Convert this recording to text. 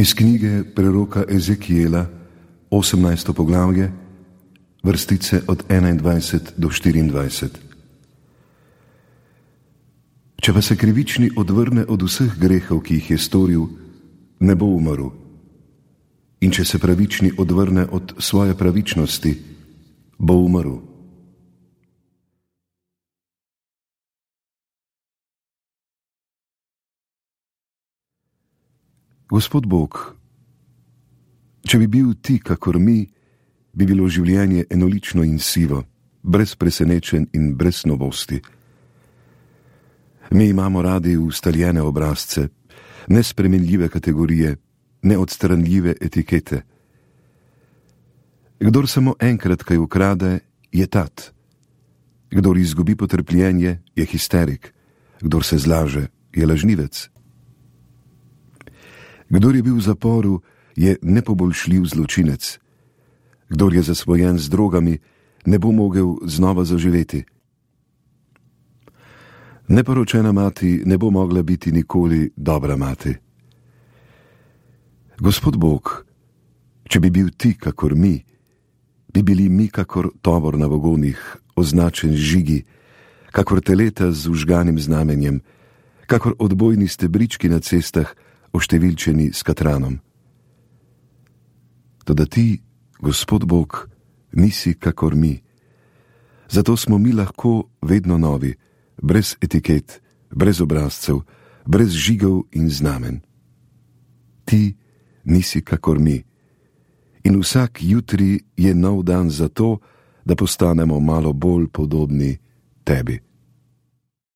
Iz knjige preroka Ezekijela, 18. poglavje, vrstice od 21 do 24. Če pa se krivični odvrne od vseh grehov, ki jih je storil, ne bo umrl. In če se pravični odvrne od svoje pravičnosti, bo umrl. Gospod Bog, če bi bil ti kakor mi, bi bilo življenje enolično in sivo, brez presenečenj in brez novosti. Mi imamo radi ustaljene obrazce, nespremenljive kategorije, neodstranljive etikete. Kdor samo enkrat kaj ukrade, je tat. Kdor izgubi potrpljenje, je histerik. Kdor se zlaže, je lažnivec. Kdor je bil v zaporu, je nepoboljšljiv zločinec. Kdor je zasvojen z drogami, ne bo mogel znova zaživeti. Neporočena mati ne bo mogla biti nikoli dobra mati. Gospod Bog, če bi bil ti kakor mi, bi bili mi kakor tovor na vagonih, označen žigi, kakor teleta z vžganim znamenjem, kakor odbojni stebrički na cestah, oštevilčeni s katranom. Toda ti, Gospod Bog, nisi kakor mi. Zato smo mi lahko vedno novi, brez etiket, brez obrazcev, brez žigov in znamen. Ti nisi kakor mi. In vsak jutri je nov dan za to, da postanemo malo bolj podobni tebi.